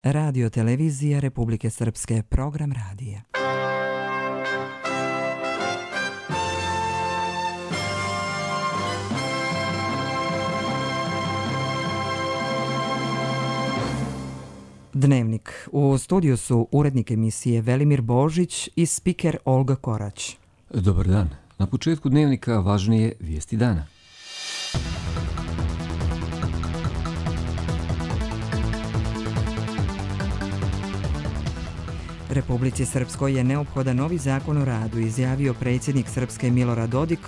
Radio televizija Republike Srpske, program radija. Dnevnik. U studiju su urednik emisije Velimir Božić i spiker Olga Korać. Dobar dan. Na početku dnevnika važnije vijesti dana. Republici Srpskoj je neophodan novi zakon o radu, izjavio predsjednik Srpske Milorad Dodik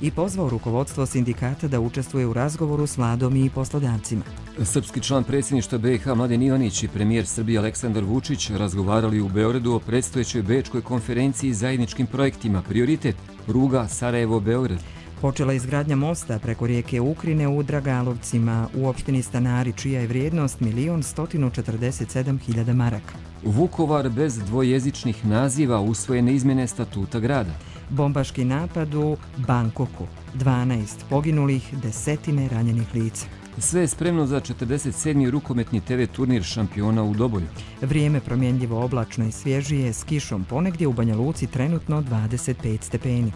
i pozvao rukovodstvo sindikata da učestvuje u razgovoru s vladom i poslodavcima. Srpski član predsjedništva BiH Mladen Ivanić i premijer Srbije Aleksandar Vučić razgovarali u Beogradu o predstojećoj bečkoj konferenciji zajedničkim projektima. Prioritet pruga Sarajevo-Beograd. Počela izgradnja mosta preko rijeke Ukrine u Dragalovcima u opštini Stanari, čija je vrijednost 1.147.000 maraka. Vukovar bez dvojezičnih naziva, usvojene izmjene statuta grada. Bombaški napad u Bangkoku, 12 poginulih, desetine ranjenih lica. Sve je spremno za 47. rukometni TV turnir šampiona u Doboju. Vrijeme promjenljivo oblačno i svježije s kišom, ponegdje u Banja Luci trenutno 25 stepeni.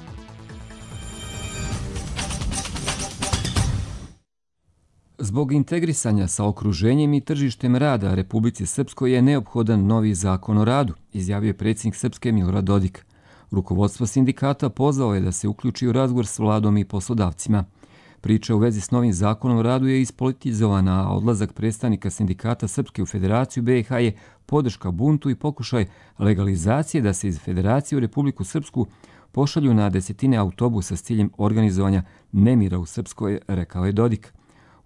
Zbog integrisanja sa okruženjem i tržištem rada Republici Srpskoj je neophodan novi zakon o radu, izjavio je predsjednik Srpske Milorad Dodik. Rukovodstvo sindikata pozvao je da se uključi u razgovor s vladom i poslodavcima. Priča u vezi s novim zakonom o radu je ispolitizovana, a odlazak predstavnika sindikata Srpske u Federaciju BiH je podrška buntu i pokušaj legalizacije da se iz Federacije u Republiku Srpsku pošalju na desetine autobusa s ciljem organizovanja nemira u Srpskoj, rekao je Dodik.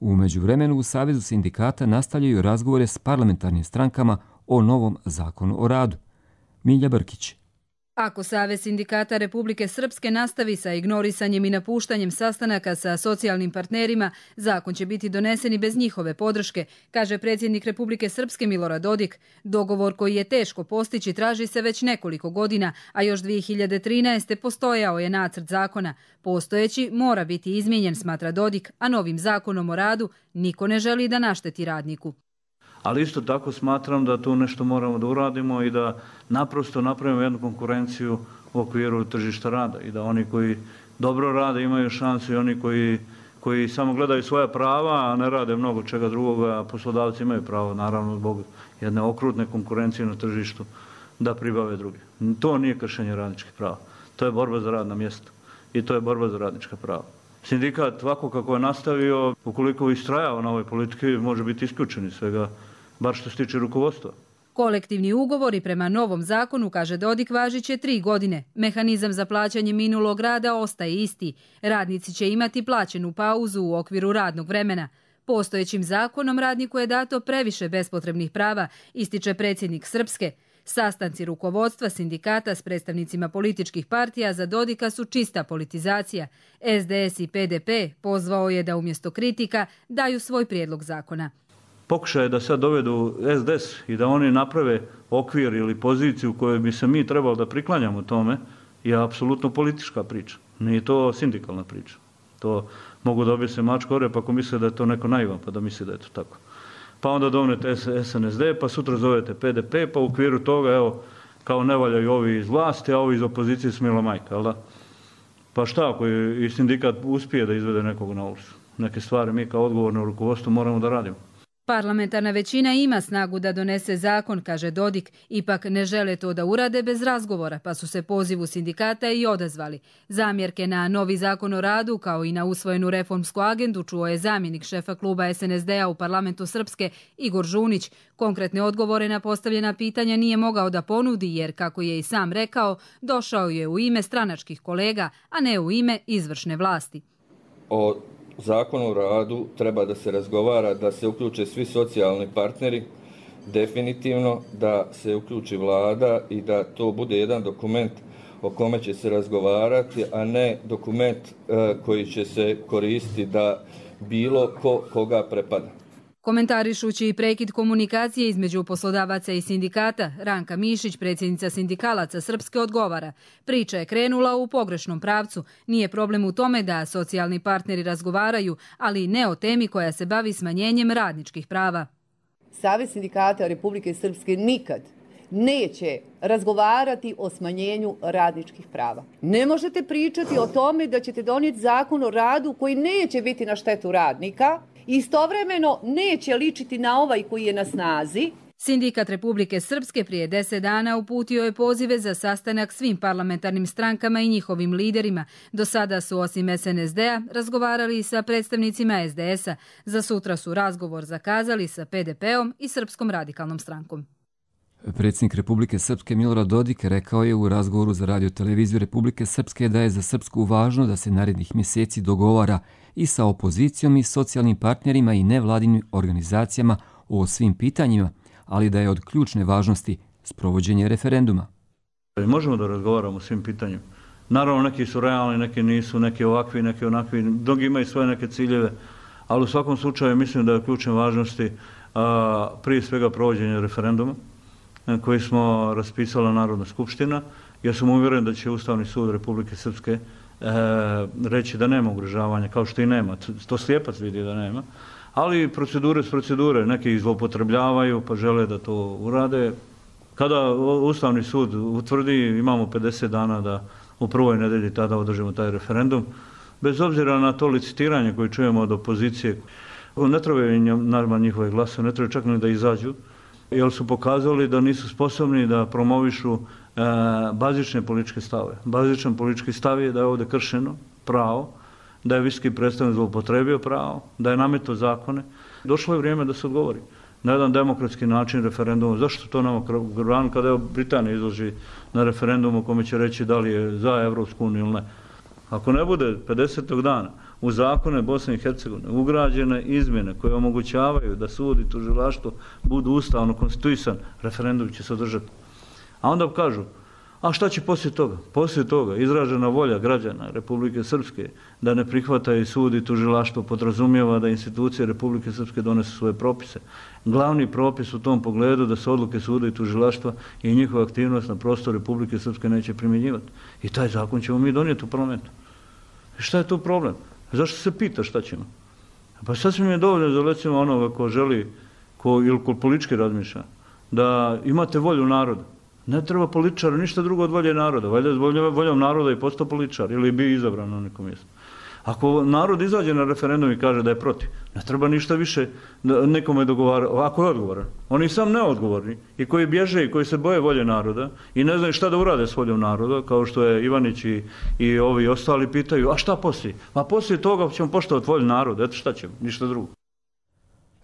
U međuvremenu u Savezu sindikata nastavljaju razgovore s parlamentarnim strankama o novom zakonu o radu. Milja Brkić. Ako Savez sindikata Republike Srpske nastavi sa ignorisanjem i napuštanjem sastanaka sa socijalnim partnerima, zakon će biti donesen i bez njihove podrške, kaže predsjednik Republike Srpske Milorad Dodik. Dogovor koji je teško postići traži se već nekoliko godina, a još 2013. postojao je nacrt zakona. Postojeći mora biti izmijenjen, smatra Dodik, a novim zakonom o radu niko ne želi da našteti radniku. Ali isto tako smatram da tu nešto moramo da uradimo i da naprosto napravimo jednu konkurenciju u okviru tržišta rada i da oni koji dobro rade imaju šansu i oni koji samo gledaju svoja prava, a ne rade mnogo čega drugoga, a poslodavci imaju pravo, naravno zbog jedne okrutne konkurencije na tržištu, da pribave druge. To nije kršenje radničkih prava. To je borba za radna mjesta i to je borba za radnička prava. Sindikat ovako kako je nastavio, ukoliko istrajava na ovoj politike, može biti isključen iz svega, bar što se tiče rukovodstva. Kolektivni ugovori prema novom zakonu, kaže Dodik, važit će 3 godine. Mehanizam za plaćanje minulog rada ostaje isti. Radnici će imati plaćenu pauzu u okviru radnog vremena. Postojećim zakonom radniku je dato previše bespotrebnih prava, ističe predsjednik Srpske. Sastanci rukovodstva sindikata s predstavnicima političkih partija za Dodika su čista politizacija. SDS i PDP pozvao je da umjesto kritika daju svoj prijedlog zakona. Pokušaj da sad dovedu SDS i da oni naprave okvir ili poziciju koju bi se mi trebali da priklanjamo tome je apsolutno politička priča. Nije to sindikalna priča. To mogu dobiti se mačku o rep ako misle da je to neko naivan pa da misli da je to tako. Pa onda dovedete SNSD, pa sutra zovete PDP, pa u okviru toga, evo, kao ne valjaju ovi iz vlasti, a ovi iz opozicije smila majka, jel da? Pa šta ako i sindikat uspije da izvede nekog na ulicu? Neke stvari mi kao odgovorno rukovodstvo moramo da radimo. Parlamentarna većina ima snagu da donese zakon, kaže Dodik, ipak ne žele to da urade bez razgovora, pa su se pozivu sindikata i odazvali. Zamjerke na novi zakon o radu, kao i na usvojenu reformsku agendu, čuo je zamjenik šefa kluba SNSD-a u parlamentu Srpske, Igor Žunić. Konkretne odgovore na postavljena pitanja nije mogao da ponudi, jer, kako je i sam rekao, došao je u ime stranačkih kolega, a ne u ime izvršne vlasti. O zakonu o radu treba da se razgovara, da se uključe svi socijalni partneri, definitivno da se uključi vlada i da to bude jedan dokument o kome će se razgovarati, a ne dokument koji će se koristiti da bilo koga prepada. Komentarišući i prekid komunikacije između poslodavaca i sindikata, Ranka Mišić, predsjednica sindikalaca Srpske, odgovara: priča je krenula u pogrešnom pravcu. Nije problem u tome da socijalni partneri razgovaraju, ali ne o temi koja se bavi smanjenjem radničkih prava. Savez sindikata Republike Srpske nikad neće razgovarati o smanjenju radničkih prava. Ne možete pričati o tome da ćete donijeti zakon o radu koji neće biti na štetu radnika i istovremeno neće ličiti na ovaj koji je na snazi. Sindikat Republike Srpske prije 10 dana uputio je pozive za sastanak svim parlamentarnim strankama i njihovim liderima. Do sada su osim SNSD-a razgovarali sa predstavnicima SDS-a. Za sutra su razgovor zakazali sa PDP-om i Srpskom radikalnom strankom. Predsjednik Republike Srpske Milorad Dodik rekao je u razgovoru za Radio-televiziju Republike Srpske da je za Srpsku važno da se narednih mjeseci dogovara i sa opozicijom i socijalnim partnerima i nevladinim organizacijama o svim pitanjima, ali da je od ključne važnosti sprovođenje referenduma. Možemo da razgovaramo o svim pitanjima. Naravno, neki su realni, neki nisu, neki ovakvi, neki onakvi, mnogi imaju svoje neke ciljeve, ali u svakom slučaju mislim da je od ključne važnosti prije svega provođenje referenduma koji smo raspisala Narodna skupština, jer sam uvjeren da će Ustavni sud Republike Srpske reći da nema ugrožavanja, kao što i nema. To slijepac vidi da nema. Ali procedure s procedure, neki ih zloupotrebljavaju pa žele da to urade. Kada Ustavni sud utvrdi, imamo 50 dana da u prvoj nedelji tada održimo taj referendum. Bez obzira na to licitiranje koje čujemo od opozicije, ne trebaju naravno njihove glasove, ne trebaju čak ni da izađu, jer su pokazali da nisu sposobni da promovišu bazične političke stave. Bazičan politički stav je da je ovdje kršeno pravo, da je visoki predstavnik zloupotrebio pravo, da je nametao zakone. Došlo je vrijeme da se odgovori na jedan demokratski način referendumom. Zašto to nama granu kada je Britanija izloži na referendumu u kome će reći da li je za Evropsku uniju ili ne? Ako ne bude 50. dana u zakone Bosne i Hercegovine ugrađene izmjene koje omogućavaju da sud i tužilaštvo budu ustavno konstituisan, referendum će se održati. A onda kažu, a šta će poslije toga? Poslije toga izražena volja građana Republike Srpske da ne prihvataju sud i tužilaštvo podrazumijeva da institucije Republike Srpske donesu svoje propise. Glavni propis u tom pogledu da se odluke suda i tužilaštva i njihova aktivnost na prostoru Republike Srpske neće primjenjivati. I taj zakon ćemo mi donijeti u parlamentu. I šta je tu problem? Zašto se pita šta ćemo? Pa sasvim je dovoljno za recimo onoga ko želi, ili ko politički razmišlja, da imate volju naroda. Ne treba političara ništa drugo od volje naroda. Valjda je voljom naroda i postao političar ili bi izabran na nekom mjestu. Ako narod izađe na referendum i kaže da je protiv, ne treba ništa više nekome dogovarati. Ako je odgovoran, oni sam neodgovorni i koji bježe i koji se boje volje naroda i ne znaju šta da urade s voljom naroda, kao što je Ivanić i ovi ostali pitaju, a šta poslije? A poslije toga ćemo poštovati volju naroda, eto šta ćemo, ništa drugo.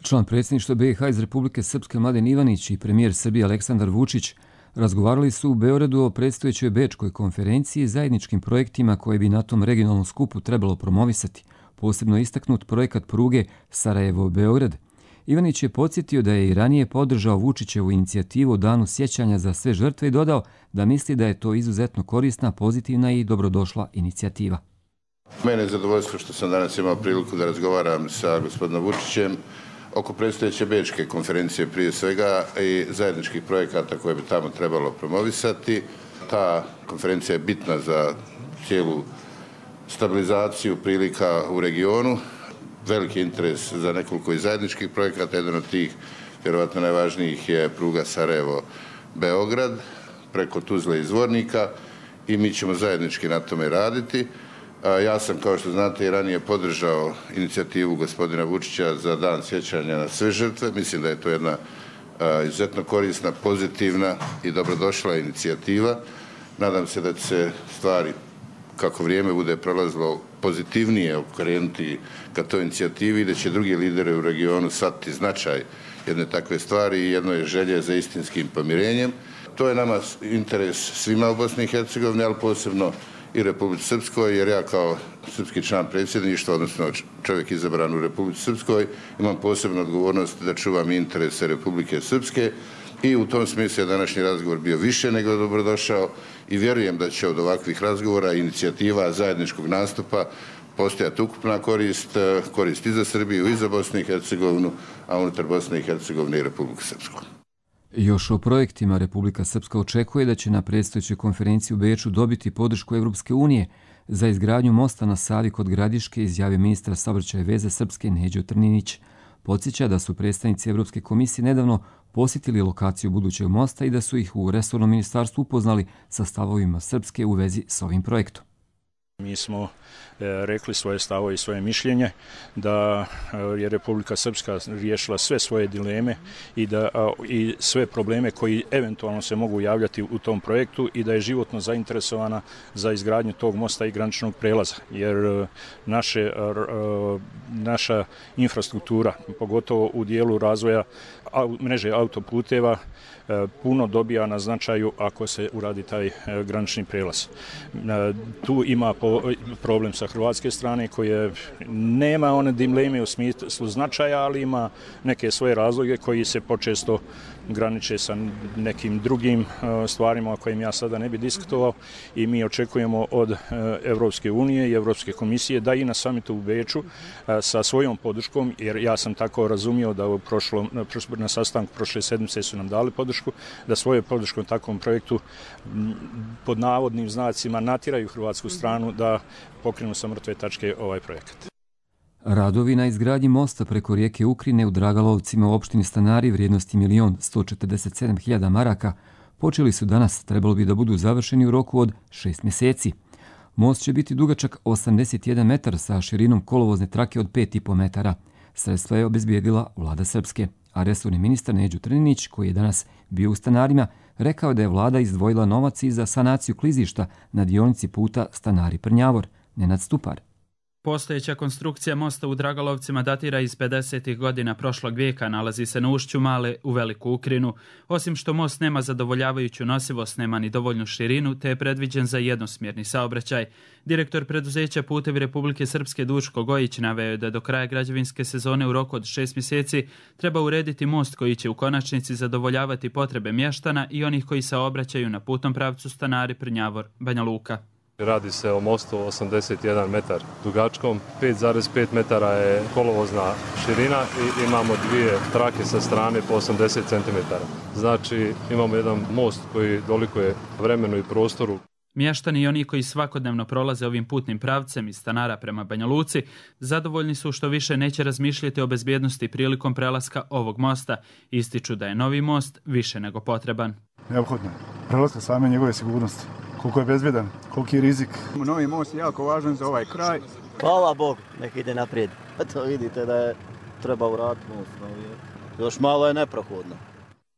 Član predsjedništva BiH iz Republike Srpske Mladen Ivanić i premijer Srbije Aleksandar Vučić razgovarali su u Beogradu o predstojećoj Bečkoj konferenciji i zajedničkim projektima koje bi na tom regionalnom skupu trebalo promovisati, posebno istaknut projekat pruge Sarajevo-Beograd. Ivanić je podsjetio da je i ranije podržao Vučićevu inicijativu o danu sjećanja za sve žrtve i dodao da misli da je to izuzetno korisna, pozitivna i dobrodošla inicijativa. Mene je zadovoljstvo što sam danas imao priliku da razgovaram sa gospodinom Vučićem oko predstojeće Bečke konferencije prije svega i zajedničkih projekata koje bi tamo trebalo promovisati. Ta konferencija je bitna za cijelu stabilizaciju prilika u regionu. Veliki interes za nekoliko i zajedničkih projekata. Jedan od tih, vjerovatno najvažnijih, je pruga Sarajevo-Beograd preko Tuzle i Zvornika i mi ćemo zajednički na tome raditi. Ja sam, kao što znate, i ranije podržao inicijativu gospodina Vučića za dan sjećanja na sve žrtve. Mislim da je to jedna izuzetno korisna, pozitivna i dobrodošla inicijativa. Nadam se da će se stvari, kako vrijeme bude prolazilo, pozitivnije okrenuti ka toj inicijativi i da će drugi lideri u regionu shvatiti značaj jedne takve stvari i jedno želje za istinskim pomirenjem. To je nama interes svima u Bosni i Hercegovini, ali posebno i Republici Srpskoj, jer ja kao srpski član predsjedništva, odnosno čovjek izabran u Republici Srpskoj, imam posebnu odgovornost da čuvam interese Republike Srpske i u tom smislu je današnji razgovor bio više nego dobrodošao i vjerujem da će od ovakvih razgovora i inicijativa zajedničkog nastupa postojati ukupna korist i za Srbiju i za Bosnu i Hercegovinu, a unutar Bosne i Hercegovine i Republiku Srpsku. Još o projektima Republika Srpska očekuje da će na predstojećoj konferenciji u Beču dobiti podršku Evropske unije za izgradnju mosta na Savi kod Gradiške, izjavio ministar saobraćaja i veze Srpske Neđo Trninić. Podsjeća da su predstavnici Evropske komisije nedavno posjetili lokaciju budućeg mosta i da su ih u resornom ministarstvu upoznali sa stavovima Srpske u vezi s ovim projektom. Mi smo rekli svoje stavove i svoje mišljenje da je Republika Srpska riješila sve svoje dileme i sve probleme koji eventualno se mogu javljati u tom projektu i da je životno zainteresovana za izgradnju tog mosta i graničnog prelaza. Jer naša infrastruktura, pogotovo u dijelu razvoja mreže autoputeva, puno dobija na značaju ako se uradi taj granični prelaz. Tu ima problem sa hrvatske strane koje nema one dileme u smislu značaja, ali ima neke svoje razloge koji se počesto graniče sa nekim drugim stvarima o kojim ja sada ne bi diskutovao i mi očekujemo od Evropske unije i Evropske komisije da i na samitu u Beču sa svojom podrškom, jer ja sam tako razumio da na sastanku prošle sedmice su nam dali podršku, da svoje podrškom takvom projektu pod navodnim znacima natjeraju hrvatsku stranu da pokrenu sa mrtve tačke ovaj projekat. Radovi na izgradnji mosta preko rijeke Ukrine u Dragalovcima u opštini Stanari vrijednosti 1.147.000 maraka počeli su danas, trebalo bi da budu završeni u roku od 6 mjeseci. Most će biti dugačak 81 metar sa širinom kolovozne trake od 5,5 metara. Sredstva je obezbijedila vlada Srpske, a resorni ministar Neđo Trninić, koji je danas bio u Stanarima, rekao da je vlada izdvojila novac i za sanaciju klizišta na dionici puta Stanari-Prnjavor. Nenad Stupar. Postojeća konstrukcija mosta u Dragalovcima datira iz 50. godina prošlog vijeka, nalazi se na ušću Male u Veliku Ukrinu. Osim što most nema zadovoljavajuću nosivost, nema ni dovoljnu širinu, te je predviđen za jednosmjerni saobraćaj. Direktor preduzeća Putevi Republike Srpske Duško Gojić naveo je da do kraja građevinske sezone u roku od 6 mjeseci treba urediti most koji će u konačnici zadovoljavati potrebe mještana i onih koji saobraćaju na putnom pravcu Stanari-Prnjavor, Banja Luka. Radi se o mostu 81 metar dugačkom, 5,5 metara je kolovozna širina i imamo dvije trake sa strane po 80 cm. Znači imamo jedan most koji dolikuje vremenu i prostoru. Mještani i oni koji svakodnevno prolaze ovim putnim pravcem iz Stanara prema Banja Luci zadovoljni su što više neće razmišljati o bezbjednosti prilikom prelaska ovog mosta. Ističu da je novi most više nego potreban. Neophodno. Prelaska same njegove sigurnosti. Koliko je bezbjedan, koliki je rizik. Novi most je jako važan za ovaj kraj. Hvala Bog, nek ide naprijed. To vidite da je treba uraditi most. Još malo je neprohodno.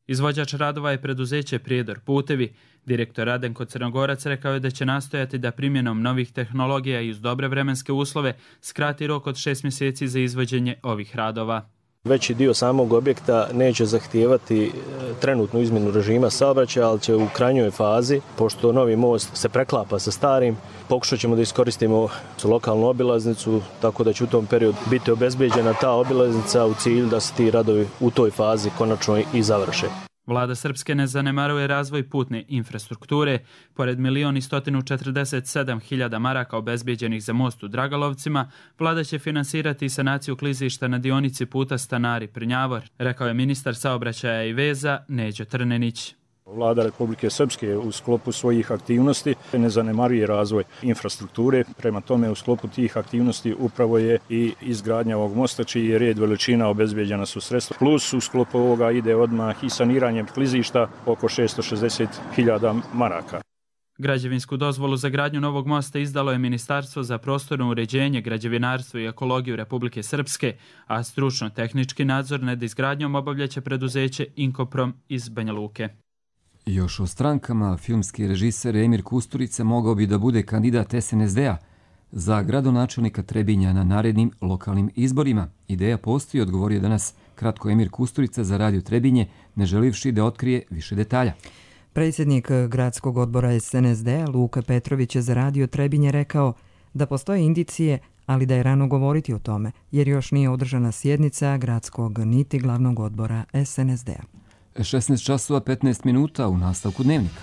Izvođač radova je preduzeće Prijedor Putevi. Direktor Radenko Crnogorac rekao je da će nastojati da primjenom novih tehnologija i uz dobre vremenske uslove skrati rok od 6 mjeseci za izvođenje ovih radova. Veći dio samog objekta neće zahtijevati trenutnu izmjenu režima saobraćaja, ali će u krajnjoj fazi, pošto novi most se preklapa sa starim, pokušat ćemo da iskoristimo lokalnu obilaznicu, tako da će u tom periodu biti obezbeđena ta obilaznica u cilju da se ti radovi u toj fazi konačno i završe. Vlada Srpske ne zanemaruje razvoj putne infrastrukture. Pored 1.147.000 maraka obezbijeđenih za most u Dragalovcima, vlada će finansirati sanaciju klizišta na dionici puta Stanari-Prnjavor, rekao je ministar saobraćaja i veza Neđo Trnenić. Vlada Republike Srpske u sklopu svojih aktivnosti ne zanemaruje razvoj infrastrukture, prema tome u sklopu tih aktivnosti upravo je i izgradnja ovog mosta čiji je red veličina obezbeđena su sredstva. Plus u sklopu ovoga ide odmah i saniranje klizišta oko 660.000 maraka. Građevinsku dozvolu za gradnju novog mosta izdalo je Ministarstvo za prostorno uređenje, građevinarstvo i ekologiju Republike Srpske, a stručno-tehnički nadzor nad izgradnjom obavljaće preduzeće Inkoprom iz Banja Luke. Još o strankama, filmski režiser Emir Kusturica mogao bi da bude kandidat SNSD-a za gradonačelnika Trebinja na narednim lokalnim izborima. Ideja postoji, odgovorio danas kratko Emir Kusturica za Radio Trebinje, ne želivši da otkrije više detalja. Predsjednik gradskog odbora SNSD-a Luka Petrović je za Radio Trebinje rekao da postoje indicije, ali da je rano govoriti o tome, jer još nije održana sjednica gradskog niti glavnog odbora SNSD-a. 16 časova 15 minuta u nastavku dnevnika.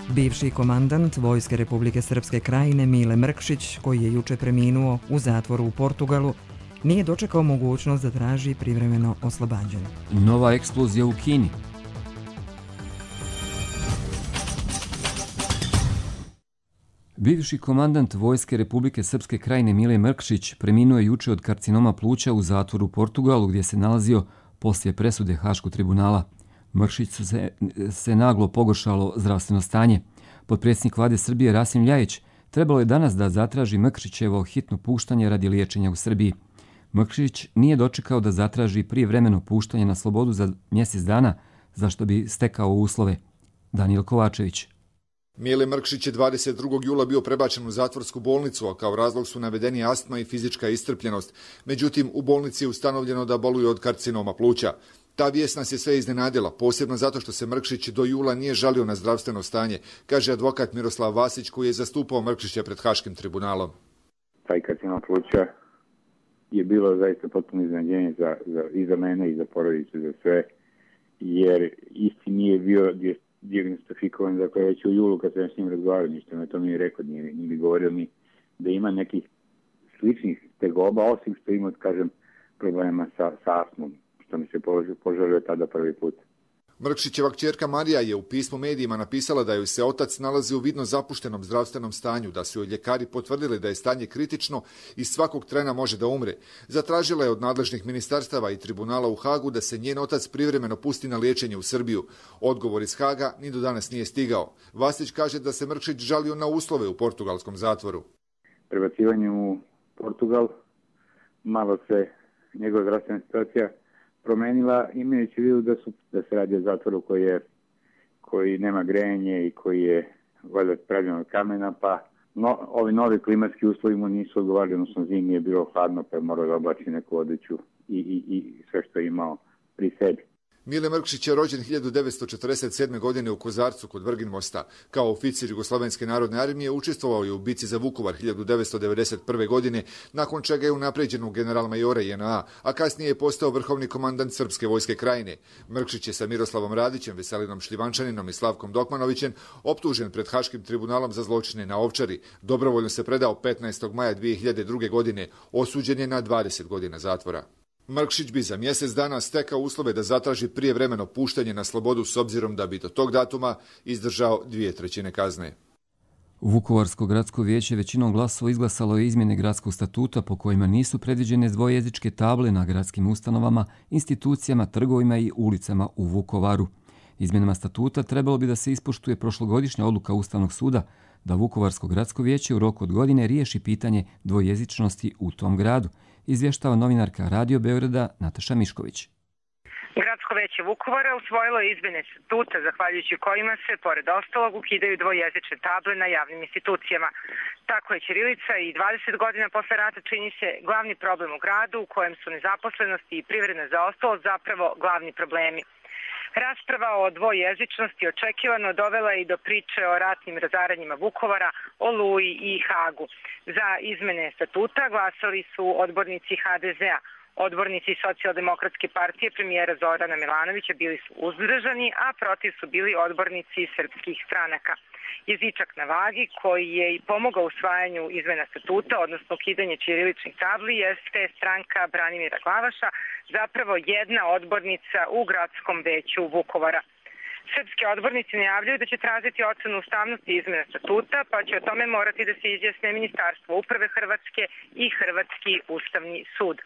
Bivši komandant Vojske Republike Srpske Krajine Mile Mrkšić, koji je juče preminuo u zatvoru u Portugalu, nije dočekao mogućnost da traži privremeno oslobađanje. Nova eksplozija u Kini. Bivši komandant Vojske Republike Srpske Krajine Mile Mrkšić preminuo je juče od karcinoma pluća u zatvoru u Portugalu gdje se nalazio poslije presude Haškog tribunala. Mrkšić se naglo pogoršalo zdravstveno stanje. Potpredsjednik vlade Srbije Rasim Ljajić trebalo je danas da zatraži Mrkšićevo hitno puštanje radi liječenja u Srbiji. Mrkšić nije dočekao da zatraži prijevremeno puštanje na slobodu za mjesec dana, za što bi stekao uslove. Danijel Kovačević. Mile Mrkšić je 22. jula bio prebačen u zatvorsku bolnicu, a kao razlog su navedeni astma i fizička iscrpljenost. Međutim, u bolnici je ustanovljeno da boluje od karcinoma pluća. Ta vijest nas je sve iznenadila, posebno zato što se Mrkšić do jula nije žalio na zdravstveno stanje, kaže advokat Miroslav Vasić koji je zastupao Mrkšića pred Haškim tribunalom. Taj karcinom pluća je bilo zaista potpuno iznenađenje i za mene i za porodicu i za sve, jer isti nije bio diagnostifikovan, dakle već u julu kad sam s njim razgovarao, ništa me to nije rekao, nije govorio mi da ima nekih sličnih tegoba, osim što ima, kažem, problema sa astmom, što mi se požalio tada prvi put. Mrkšićeva kćerka Marija je u pismu medijima napisala da joj se otac nalazi u vidno zapuštenom zdravstvenom stanju, da su joj ljekari potvrdili da je stanje kritično i svakog trena može da umre. Zatražila je od nadležnih ministarstava i tribunala u Hagu da se njen otac privremeno pusti na liječenje u Srbiju. Odgovor iz Haga ni do danas nije stigao. Vasić kaže da se Mrkšić žalio na uslove u portugalskom zatvoru. Prebacivanjem u Portugal malo se njegova zdravstvena situacija promenila, imajući u vidu da se radi o zatvoru koji nema grejanje i koji je valjda pravljen od kamena, pa ovi novi klimatski uslovi mu nisu odgovarali, odnosno zimi je bilo hladno, pa je morao da oblači neku odeću i sve što je imao pri sebi. Mile Mrkšić je rođen 1947. godine u Kozarcu kod Vrginmosta. Kao oficir Jugoslovenske narodne armije učestvovao je u bici za Vukovar 1991. godine, nakon čega je unapređen u general-majora JNA, a kasnije je postao vrhovni komandant Srpske vojske Krajine. Mrkšić je sa Miroslavom Radićem, Veselinom Šljivančaninom i Slavkom Dokmanovićem optužen pred Haškim tribunalom za zločine na Ovčari. Dobrovoljno se predao 15. maja 2002. godine, osuđen je na 20 godina zatvora. Mrkšić bi za mjesec dana stekao uslove da zatraži prijevremeno puštanje na slobodu s obzirom da bi do tog datuma izdržao 2/3 kazne. Vukovarsko gradsko vijeće većinom glasova izglasalo je izmjene gradskog statuta po kojima nisu predviđene dvojezičke table na gradskim ustanovama, institucijama, trgovima i ulicama u Vukovaru. Izmjenama statuta trebalo bi da se ispoštuje prošlogodišnja odluka Ustavnog suda da Vukovarsko gradsko vijeće u roku od godine riješi pitanje dvojezičnosti u tom gradu, izvještava novinarka Radio Beograda Nataša Mišković. Gradsko veće Vukovara usvojilo je izmjene statuta zahvaljujući kojima se, pored ostalog, ukidaju dvojezične table na javnim institucijama. Tako je ćirilica i 20 godina posle rata čini se glavni problem u gradu u kojem su nezaposlenost i privredna zaostalost zapravo glavni problemi. Rasprava o dvojezičnosti očekivano dovela i do priče o ratnim razaranjima Vukovara, Oluji i Hagu. Za izmene statuta glasali su odbornici HDZ-a. Odbornici Socijaldemokratske partije premijera Zorana Milanovića bili su uzdržani, a protiv su bili odbornici srpskih stranaka. Jezičak na vagi, koji je i pomogao usvajanju izmena statuta, odnosno ukidanje ćiriličnih tabli, jeste stranka Branimira Glavaša, zapravo jedna odbornica u gradskom veću Vukovara. Srpski odbornici najavljuju da će tražiti ocenu ustavnosti izmena statuta, pa će o tome morati da se izjasne Ministarstvo uprave Hrvatske i Hrvatski ustavni sud.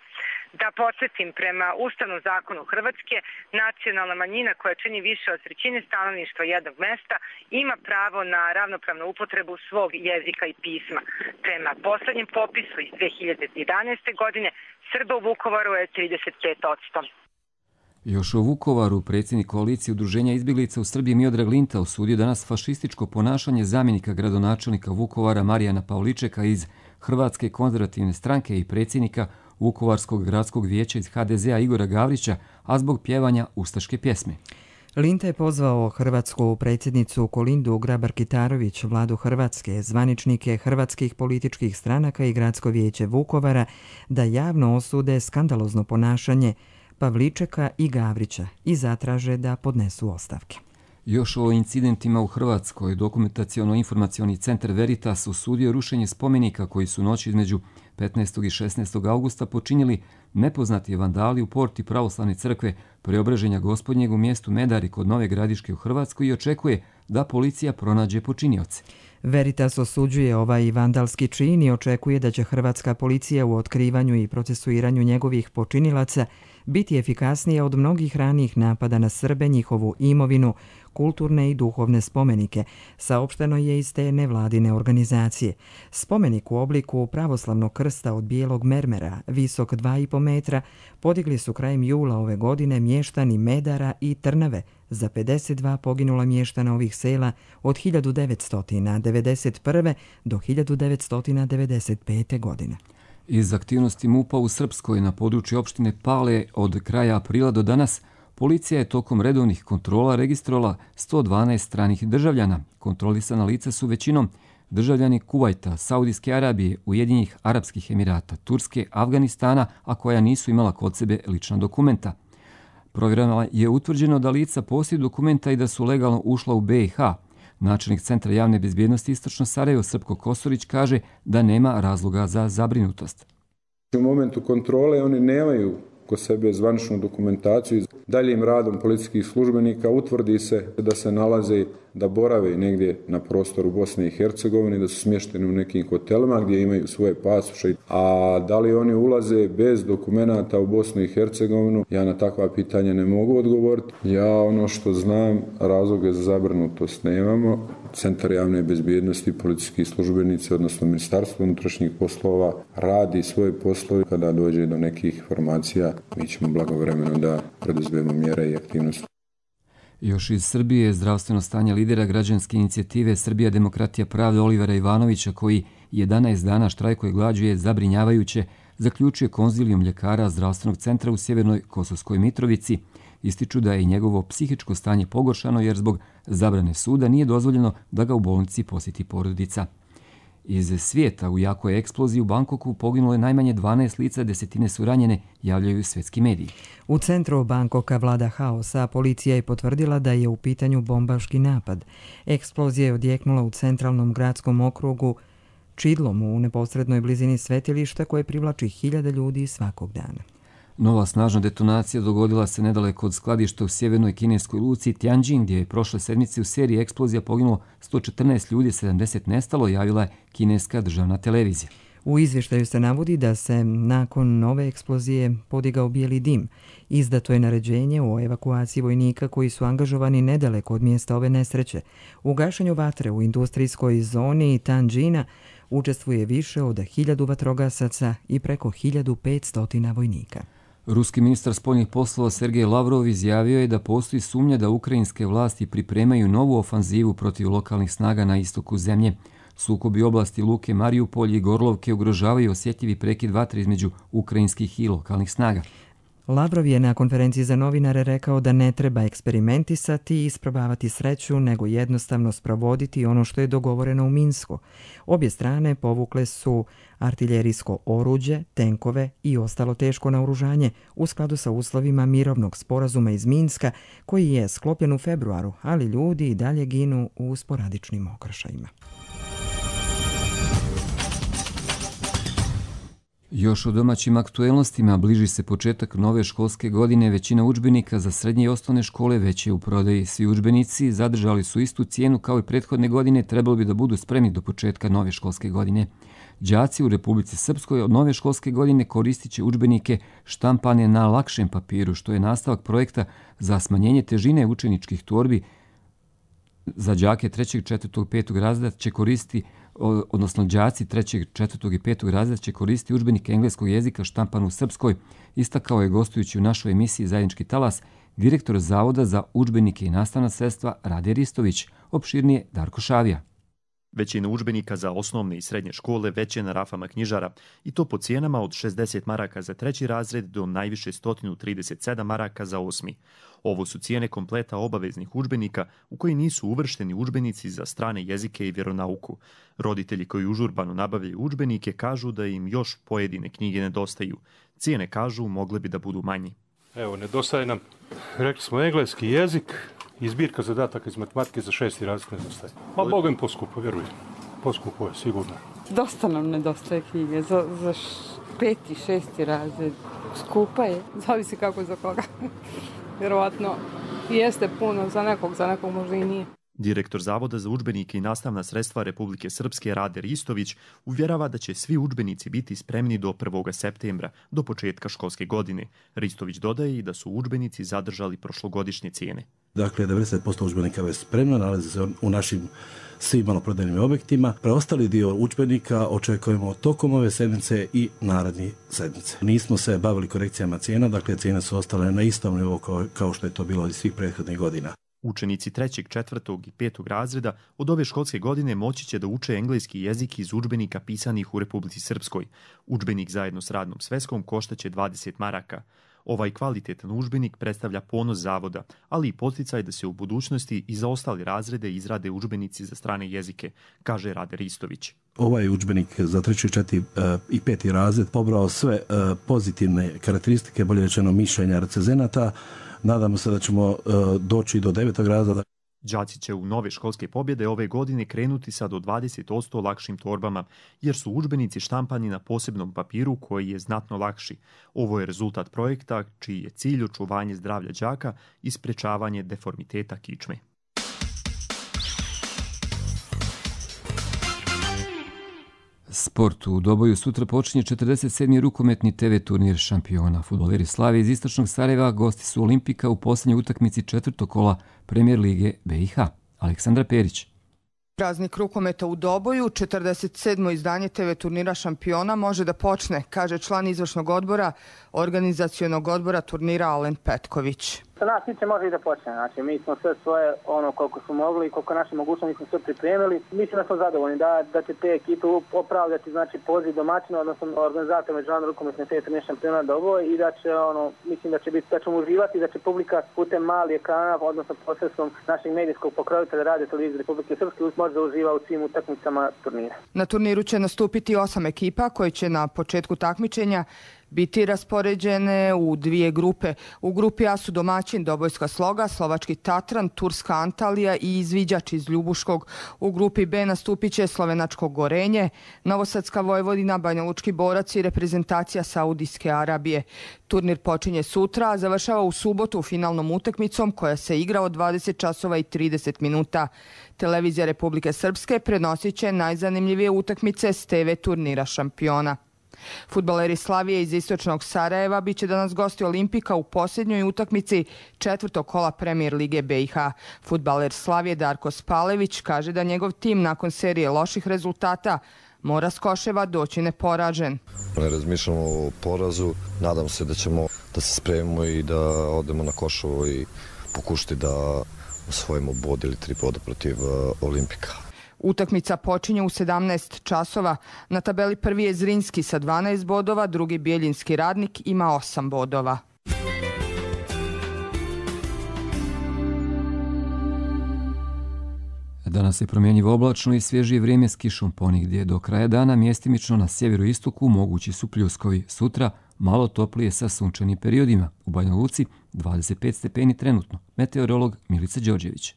Da podsjetim, prema Ustavnom zakonu Hrvatske, nacionalna manjina koja čini više od 1/3 stanovništva jednog mesta ima pravo na ravnopravnu upotrebu svog jezika i pisma. Prema poslednjem popisu iz 2011. godine Srba u Vukovaru je 35%. Još o Vukovaru, predsjednik koalicije Udruženja izbjeglica u Srbiji Miodrag Linta osudio danas fašističko ponašanje zamjenika gradonačelnika Vukovara Marijana Pavličeka iz Hrvatske konzervativne stranke i predsjednika Vukovarskog gradskog vijeća iz HDZ-a Igora Gavrića, a zbog pjevanja ustaške pjesme. Linta je pozvao hrvatsku predsjednicu Kolindu Grabar-Kitarović, vladu Hrvatske, zvaničnike hrvatskih političkih stranaka i gradsko vijeće Vukovara da javno osude skandalozno ponašanje Pavličeka i Gavrića i zatraže da podnesu ostavke. Još o incidentima u Hrvatskoj, dokumentaciono-informacioni centar Veritas osudio rušenje spomenika koji su noći između 15. i 16. augusta počinili nepoznati vandali u porti pravoslavne crkve Preobraženja Gospodnjeg u mjestu Medari kod Nove Gradiške u Hrvatskoj i očekuje da policija pronađe počinioce. Veritas osuđuje ovaj vandalski čin i očekuje da će hrvatska policija u otkrivanju i procesuiranju njegovih počinilaca biti efikasnija od mnogih ranijih napada na Srbe, njihovu imovinu, kulturne i duhovne spomenike, saopšteno je iz te nevladine organizacije. Spomenik u obliku pravoslavnog krsta od bijelog mermera, visok 2,5 metra, podigli su krajem jula ove godine mještani Medara i Trnave, za 52 poginula mještana ovih sela od 1991. do 1995. godine. Iz aktivnosti MUP-a u Srpskoj na području opštine Pale od kraja aprila do danas, policija je tokom redovnih kontrola registrovala 112 stranih državljana. Kontrolisana lica su većinom državljani Kuvajta, Saudijske Arabije, Ujedinjenih Arapskih Emirata, Turske, Afganistana, a koja nisu imala kod sebe lična dokumenta. Provjerama je utvrđeno da lica posjeduju dokumenta i da su legalno ušla u BiH. Načelnik Centra javne bezbjednosti Istočno Sarajevo Srpko Kosorić kaže da nema razloga za zabrinutost. U momentu kontrole oni nemaju kod sebe zvaničnu dokumentaciju. Daljim radom policijskih službenika utvrdi se da se nalaze, da borave negdje na prostoru Bosne i Hercegovine, da su smješteni u nekim hotelima gdje imaju svoje pasoše. A da li oni ulaze bez dokumenata u Bosnu i Hercegovinu, ja na takva pitanja ne mogu odgovoriti. Ja ono što znam, razloga za zabrinutost nemamo. Centar javne bezbjednosti, policijski službenici, odnosno Ministarstvo unutrašnjih poslova, radi svoje poslove. Kada dođe do nekih informacija, mi ćemo blagovremeno da preduzmemo mjere i aktivnosti. Još iz Srbije zdravstveno stanje lidera građanske inicijative Srbija demokratija pravde Olivera Ivanovića, koji 11 dana štrajkuje glađu, je zabrinjavajuće, zaključuje konzilijum ljekara zdravstvenog centra u Sjevernoj Kosovskoj Mitrovici. Ističu da je i njegovo psihičko stanje pogoršano jer zbog zabrane suda nije dozvoljeno da ga u bolnici posjeti porodica. Iz svijeta u jakoj eksploziji u Bangkoku poginulo je najmanje 12 lica, desetine su ranjene, javljaju svjetski mediji. U centru Bangkoka vlada haos, a policija je potvrdila da je u pitanju bombaški napad. Eksplozija je odjeknula u centralnom gradskom okrugu Čidlomu u neposrednoj blizini svetilišta koje privlači 1000 ljudi svakog dana. Nova snažna detonacija dogodila se nedaleko od skladišta u sjevernoj kineskoj luci Tianjin, gdje je prošle sedmice u seriji eksplozija poginulo 114 ljudi, 70 nestalo, javila je kineska državna televizija. U izvještaju se navodi da se nakon nove eksplozije podigao bijeli dim. Izdato je naređenje o evakuaciji vojnika koji su angažovani nedaleko od mjesta ove nesreće. U gašenju vatre u industrijskoj zoni Tianjina učestvuje više od 1000 vatrogasaca i preko 1500 vojnika. Ruski ministar spoljnih poslova Sergej Lavrov izjavio je da postoji sumnja da ukrajinske vlasti pripremaju novu ofanzivu protiv lokalnih snaga na istoku zemlje. Sukobi oblasti Luke, Mariupolj i Gorlovke ugrožavaju osjetljivi prekid vatre između ukrajinskih i lokalnih snaga. Lavrov je na konferenciji za novinare rekao da ne treba eksperimentisati i isprobavati sreću, nego jednostavno sprovoditi ono što je dogovoreno u Minsku. Obje strane povukle su artiljerijsko oruđe, tenkove i ostalo teško naoružanje u skladu sa uslovima mirovnog sporazuma iz Minska, koji je sklopljen u februaru, ali ljudi i dalje ginu u sporadičnim okršajima. Još o domaćim aktuelnostima, bliži se početak nove školske godine, većina udžbenika za srednje i osnovne škole već je u prodaji. Svi udžbenici zadržali su istu cijenu kao i prethodne godine, trebalo bi da budu spremni do početka nove školske godine. Đaci u Republici Srpskoj od nove školske godine koristit će udžbenike štampane na lakšem papiru, što je nastavak projekta za smanjenje težine učeničkih torbi. Za đake 3., 4., 5. razreda će koristiti, odnosno đaci 3., 4. i 5. razreda će koristiti udžbenike engleskog jezika štampan u Srpskoj, istakao je gostujući u našoj emisiji Zajednički talas direktor Zavoda za udžbenike i nastavna sredstva Rade Ristović, opširnije Darko Šavija. Većina udžbenika za osnovne i srednje škole već je na rafama knjižara i to po cijenama od 60 maraka za 3. razred do najviše 137 maraka za 8. Ovo su cijene kompleta obaveznih udžbenika u koji nisu uvršteni udžbenici za strane jezike i vjeronauku. Roditelji koji užurbano nabavljaju udžbenike kažu da im još pojedine knjige nedostaju. Cijene, kažu, mogle bi da budu manji. Evo, nedostaje nam, rekli smo, engleski jezik i zbirka zadataka iz matematike za 6. razred nedostaje. Ma Bogom poskupo, vjerujem. Poskupo je, sigurno. Dosta nam nedostaje knjige za 5. i 6. razred. Skupa je, zavisi kako za koga. Vjerovatno jeste puno za nekog možda i nije. Direktor Zavoda za udžbenike i nastavna sredstva Republike Srpske Rade Ristović uvjerava da će svi udžbenici biti spremni do 1. septembra, do početka školske godine. Ristović dodaje i da su udžbenici zadržali prošlogodišnje cijene. Dakle, 90% udžbenika je spremno, nalazi se u našim svim maloprodajnim objektima. Preostali dio udžbenika očekujemo tokom ove sedmice i narednih sedmice. Nismo se bavili korekcijama cijena, dakle cijene su ostale na istom nivou kao što je to bilo iz svih prethodnih godina. Učenici 3., 4. i 5. razreda od ove školske godine moći će da uče engleski jezik iz udžbenika pisanih u Republici Srpskoj. Udžbenik zajedno s radnom sveskom koštaće 20 maraka. Ovaj kvalitetan udžbenik predstavlja ponos zavoda, ali i podsticaj da se u budućnosti i za ostale razrede izrade udžbenici za strane jezike, kaže Rade Ristović. Ovaj udžbenik za 3., 4. i 5. razred pobrao sve pozitivne karakteristike, bolje rečeno mišljenja recenzenata. Nadamo se da ćemo doći do 9. razreda. Đaci će u nove školske pobjede ove godine krenuti sa do 20% lakšim torbama, jer su udžbenici štampani na posebnom papiru koji je znatno lakši. Ovo je rezultat projekta čiji je cilj očuvanje zdravlja đaka i sprečavanje deformiteta kičme. Sport u Doboju sutra počinje 47. rukometni TV turnir šampiona. Fudbaleri Slavije iz istočnog Sarajeva gosti su Olimpika u posljednjoj utakmici 4. kola Premier lige BiH. Aleksandra Perić. Praznik rukometa u Doboju, 47. izdanje TV turnira šampiona može da počne, kaže član izvršnog odbora, organizacionog odbora turnira Alen Petković. Sa nas tiče može i da počne, znači mi smo sve svoje koliko smo mogli i koliko naše mogućnosti smo sve pripremili. Mislim da smo zadovoljni da će te ekipe opravdati znači poziv domaćina, odnosno organizator međunarodne rukometne TV turnira šampiona Doboj i da će mislim da ćemo uživati, da će publika putem malih ekrana, odnosno posredstvom našeg medijskog pokrovitelja Radio televizije Republike Srpske može da uživa u svim utakmicama turnira. Na turniru će nastupiti 8 ekipa koje će na početku takmičenja biti raspoređene u 2 grupe. U grupi A su domaćin Dobojska Sloga, Slovački Tatran, Turska Antalija i Izviđač iz Ljubuškog. U grupi B nastupit će Slovenačko Gorenje, Novosadska Vojvodina, Banjalučki Borac i reprezentacija Saudijske Arabije. Turnir počinje sutra, a završava u subotu finalnom utakmicom koja se igra od 20 časova i 30 minuta. Televizija Republike Srpske prenosit će najzanimljivije utakmice s TV turnira šampiona. Fudbaleri Slavije iz istočnog Sarajeva biće danas gosti Olimpika u posljednjoj utakmici 4. kola Premier lige BiH. Fudbaler Slavije Darko Spalević kaže da njegov tim nakon serije loših rezultata mora s Koševa doći neporažen. Ne razmišljamo o porazu, nadam se da ćemo da se spremimo i da odemo na Koševo i pokušati da osvojimo bod ili 3 boda protiv Olimpika. Utakmica počinje u 17 časova. Na tabeli prvi je Zrinski sa 12 bodova, drugi Bijeljinski Radnik ima 8 bodova. Danas je promjenjivo oblačno i svježije vrijeme s kišom ponigdje. Do kraja dana mjestimično na sjeveroistoku mogući su pljuskovi. Sutra malo toplije sa sunčanim periodima. U Banja Luci 25 stepeni trenutno. Meteorolog Milica Đorđević.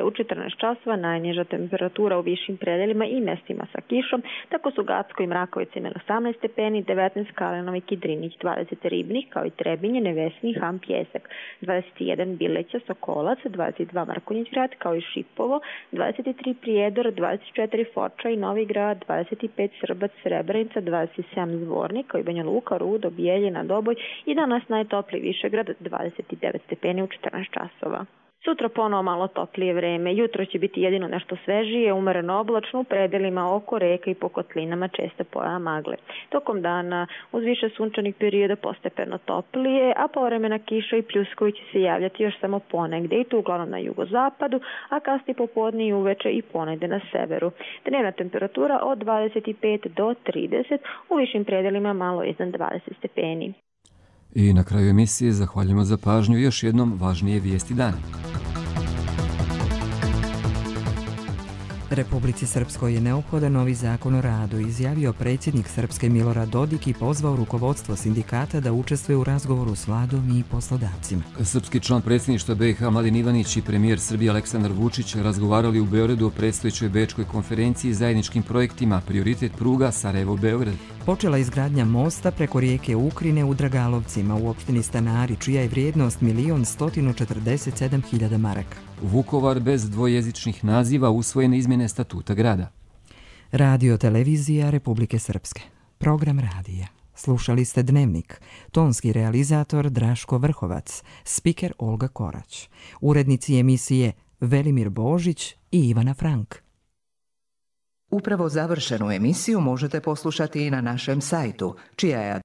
U 14 časova najniža temperatura u višim predeljima i mestima sa kišom, tako su Gacko i Mrakovica imali 18 stepeni, 19 Kalenovik i Drinić, 20 Ribnik, kao i Trebinje, Nevesni, Ham, Pjesak, 21 Bileća, Sokolac, 22 Markonjić grad, kao i Šipovo, 23 Prijedor, 24 Foča i Novi grad, 25 Srbac, Srebrenica, 27 Zvornik, kao i Banja Luka, Rudo, Bijeljina, Doboj i danas najtopliji Višegrad, 29 stepeni u 14 časova. Sutra ponovo malo toplije vreme. Jutro će biti jedino nešto svežije, umereno oblačno u predelima oko reka i po kotlinama česta pojava magle. Tokom dana uz više sunčanih perioda postepeno toplije, a povremena kiša i pljuskovi će se javljati još samo ponegde i to uglavnom na jugozapadu, a kasnije popodne i uveče i ponegde na severu. Dnevna temperatura od 25 do 30, u višim predelima malo iznad 20 stepeni. I na kraju emisije zahvaljujemo za pažnju i još jednom važnije vijesti dana. Republici Srpskoj je neophodan novi zakon o radu, izjavio predsjednik Srpske Milorad Dodik i pozvao rukovodstvo sindikata da učestvuje u razgovoru s vladom i poslodavcima. Srpski član predsjedništva BiH Mladen Ivanić i premijer Srbije Aleksandar Vučić razgovarali u Beogradu o predstojećoj bečkoj konferenciji zajedničkim projektima prioritet pruga Sarajevo-Beograd. Počela izgradnja mosta preko rijeke Ukrine u Dragalovcima u opštini Stanari, čija je vrijednost 1.147.000 maraka. Vukovar bez dvojezičnih naziva, usvojene izmjene statuta grada. Radio televizija Republike Srpske. Program radija. Slušali ste Dnevnik. Tonski realizator Draško Vrhovac. Spiker Olga Korać. Urednici emisije Velimir Božić i Ivana Frank. Upravo završenu emisiju možete poslušati i na našem sajtu, čija je